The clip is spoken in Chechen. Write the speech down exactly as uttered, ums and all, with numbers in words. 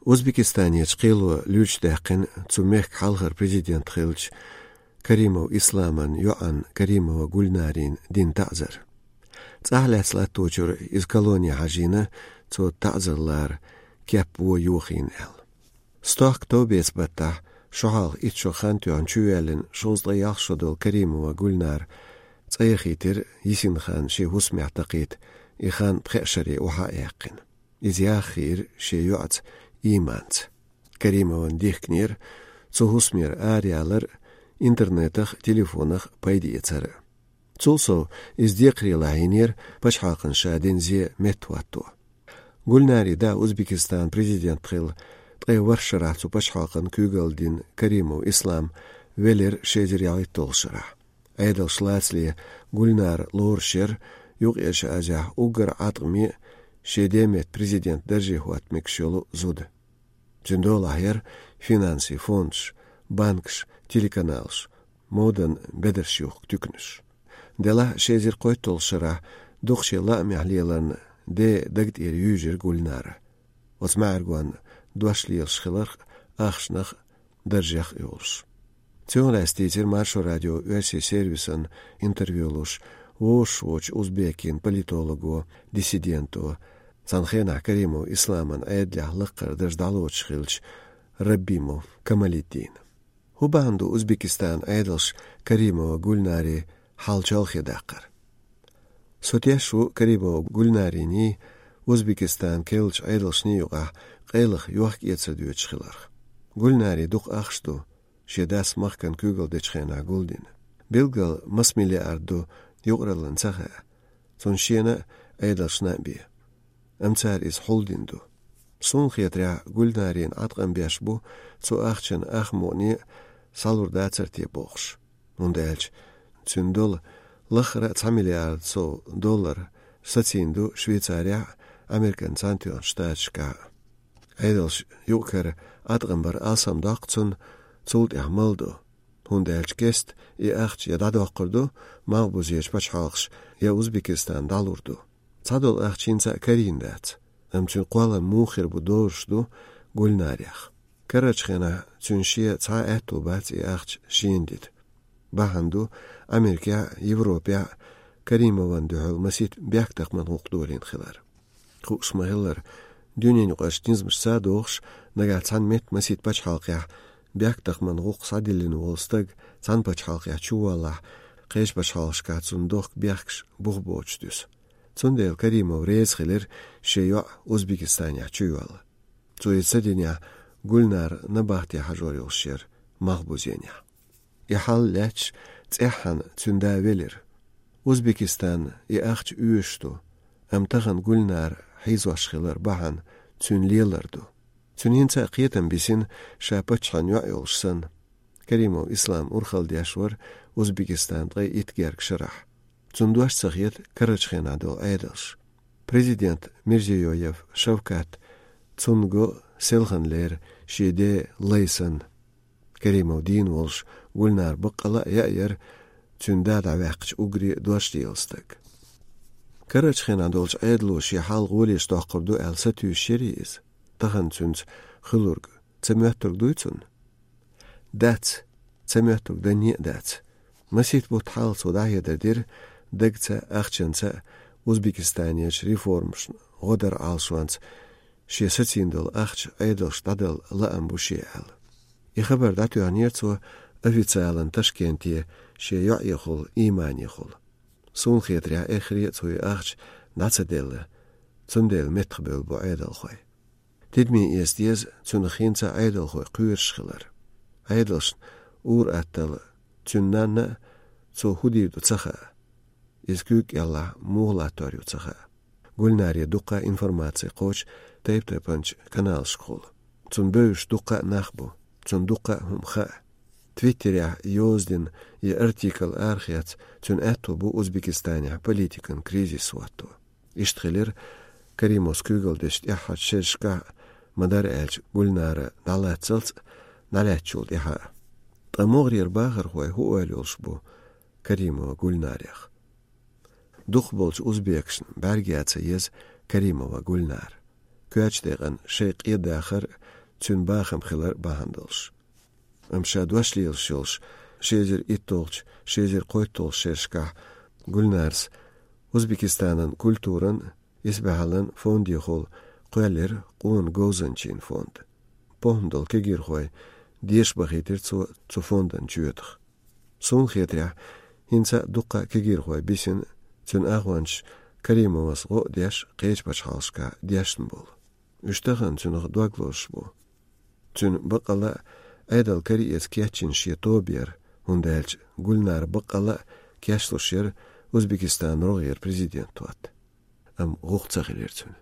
Узбекистанерчу кхело луьйчудаьккхина цу мехкан хьалхара президент хиллачу Каримов Исламан йоӀанна Каримова Гульнарина дина таӀзар. ЦӀахь лаьцна латточуьра иза колоне хьажийна, цо таӀзар лара кеп-во йохийна аьлла. Стохка товбеца баттахь, шо хьалха итт шо хан тоьхна чувоьллина шовзткъе ялх шо долу Каримова Гульнара цӀа яхийтира йисина хан шен хӀусамехь такхийта, и хан пхеа шаре охьа а яьккхина. Иза яха хиира шен йоӀаца Иманца. Каримовна дихкинера цу хӀусамера араялар, интернетах а, телефонах а пайда эцар а. Цул сов, иза декхаре лахьийнера пачхьалкхана ша дина зе меттахӀотто. Гульнарин да Узбекистанан президент хилла ткъе ворхӀ шарахь цу пачхьалкхана куьйгалла дина Каримов Ислам велира ши эзар ялхитталгӀачу шарахь. Ӏедалша лацале Гульнара лоруш яра Юккъерчу Азехь уггар Ӏаткъаме а, шен ден метта президент дарже хӀотта мегаш йолу зуда. Цуьнан долахь яра финансийн фондаш, банкаш, телеканалаш, моданан бедарш юхку туьканаш. Делахь ши эзар кхойтталгӀачу шарахь дукха шен лаамехь леларна ден даг тӀера юьйжира Гульнара. Оцу маьӀаргонна дош лелаш хиларх а, ахчанах а, даржех а йолуш. Цунах лаьцна дийцира Маршо радион оьрсийн сервисан интервью луш вовшахволчу узбекийн политолого, диссиденто, цхьана хенахь Каримов Исламан Ӏедалехь лакхара дарж дӀалоцуш хиллачу Рабимов Камалиддина. ХӀун бахьана ду Узбекистанан Ӏедалша Каримова Гульнари хьал чолхе даккхар? Со теш ву Каримова Гульнариний, Узбекистанан керлачу Ӏедалшний юкъахь къайлаха йохка-эцар доьдуш хиларх. Гульнари дукха ахча ду, шен дас махкана куьйгалла дечу хенахь гулдина. Билггал маса миллиард ду юкъараллин ца хаьа, цунна шена а, Ӏедалшна а бен. Амма цара иза хьулдина ду. Суна хетарехь, Гульнарина Ӏаткъам беш бу цу ахчанан ах мукъане а схьалур дацара те бохуш. ХӀунда аьлча цуьнан долу лаххара а цхьа миллиард сов доллар сацийна ду Швейцарехь а, Американ Цхьаьнатоьхначу Штаташкахь а. Ӏедалша юкъ-кара Ӏаткъам бар алсамдоккху цунна, цул тӀаьхьа мала до. ХӀунда аьлча кеста и ахча я дӀадоккхур ду малхбузечу пачхьалкхаша, я Узбекистан дӀалур ду. Цхьадолу ахча хӀинца а карийна дац, амма цуьнан кхоллам муха хир бу дозуш ду Гульнарех. Карарчу хенахь цуьнан шен цхьа а аьтто бац и ахча шена дита. Бахьана ду Америкехь а, Европехь а Каримовна дуьхьал масийтта бехктакхаман гӀуллакх долийна хилар. Хууш ма-хиллара, дуьненаюкъарчу низамашца а догӀуш, нагахь цхьана метта масийтта пачхьалкхехь бехктакхаман гӀуллакх схьадиллина волу стаг цхьана пачхьалкхехь чуволлахь, кхечу пачхьалкхашкахь цунна дохку бехкаш бух боцуш дуьсу. Цундела Каримов реза хилира шен йоӀ Узбекистанехь чуйолла. Цо иза ца динехь, Гульнара набахте хьажор йолуш яра малхбузенехь. И хьал лаьтташ цӀеххьана цуьнан да велира. Узбекистанна и ахча оьшуш ду, амма тахана Гульнара хьийзош хилар бахьана цуьнан лелар ду. Цуьнан хӀинца а кхетам бисина, ша паччахьан йоӀ йолуш санна. Каримов Ислам урхалла деш вара Узбекистан ткъе итт гергга шарахь. Цунна дош ца хета карарчу хенахь долу Ӏедалш. Президент Мирзиёев Шавкат цунна го селханлера шен ден лай санна. Каримов дийна волуш Гульнара баккъала а яа яра цуьнан да дӀаваьккхича уггаре а дош дийла стаг. Карарчу хенахь долчу Ӏедало шен хьал гӀолеш доккхур ду аьлла сатуьйсуш ярий иза? Тахана цуьнца хуьлург ца моьттург дуй цунна? Дац, ца моьттург данне а дац. Масийтта бутт хьалха цо дӀахьедар дира, дагца а, ахчанца а Узбекистанерчу реформашна гӀо дар Ӏалашонца шен сацийна долу ахча Ӏедалшка дӀадала лаам бу шен аьлла. И хабар дӀатоьхнера цо официалан Ташкенте шен йоӀехула, Иманехула. Суна хетарехь, эххаре а цо и ахча дӀа ца делла, цундела меттахбевлла бу Ӏедалхой. Тидаме эца деза цуьнах хӀинца а Ӏедалхой кхоьруш хилар. Ӏедалшна ур-атталла цуьнан нанна а, цо хӀун дийр ду, ца хаьа. Иза куьйга кӀелахь муха латтор ю, ца хаьа. Гульнаре дуккха а информаци кхочу тайп-тайпанчу каналашкахула. Цунна бевзаш дуккха а нах бу, цунна дуккха а хӀума хаьа. Твиттерехь йозадина я артикл арахецна, цуьнан аьтто бу Узбекистанехь политикан кризис хӀотто. Иштта хилира Каримовс куьйгалла дечу тӀаьххьарчу шерашкахь а, ма-дарра аьлча, Гульнара дӀалаццалц а, дӀалаьцначул тӀаьхьа а. Ткъа могӀарера бахархой хӀун ойла йолуш бу Каримова Гульнарех? Дукхахболчу узбекашна бӀаьрга ян ца еза Каримова Гульнара. коьрта декъана шайн къа дахар, цуьнан бахам хилар бахьана долуш. Амма ша дош лелаш йолуш, ши эзар итталгӀачу, ши эзар кхойтталгӀачу шерашкахь Гульнарас Узбекистанан культуран, исбаьхьаллин фондехула кхоьллира къона говзанчийн фонд. ПохӀма долу кегийрхой деша бахийтира цо цу фондан чоьтах. Суна хетарехь, хӀинца а дуккха а кегийрхой бисина, цуьнан агӀончаш Каримовас гӀо а деш, кхечу пачхьалкхашкахь дешна болу. Уьш тахана цуьнах дог лозуш бу. Цуьнан баккъалла а Ӏедал караэца кечйина шен тоба яра, хӀунда аьлча Гульнара баккъалла а кечлуш яра Узбекистан рогӀера президент хӀотта. Амма гӀуллакх ца хилира цуьнан.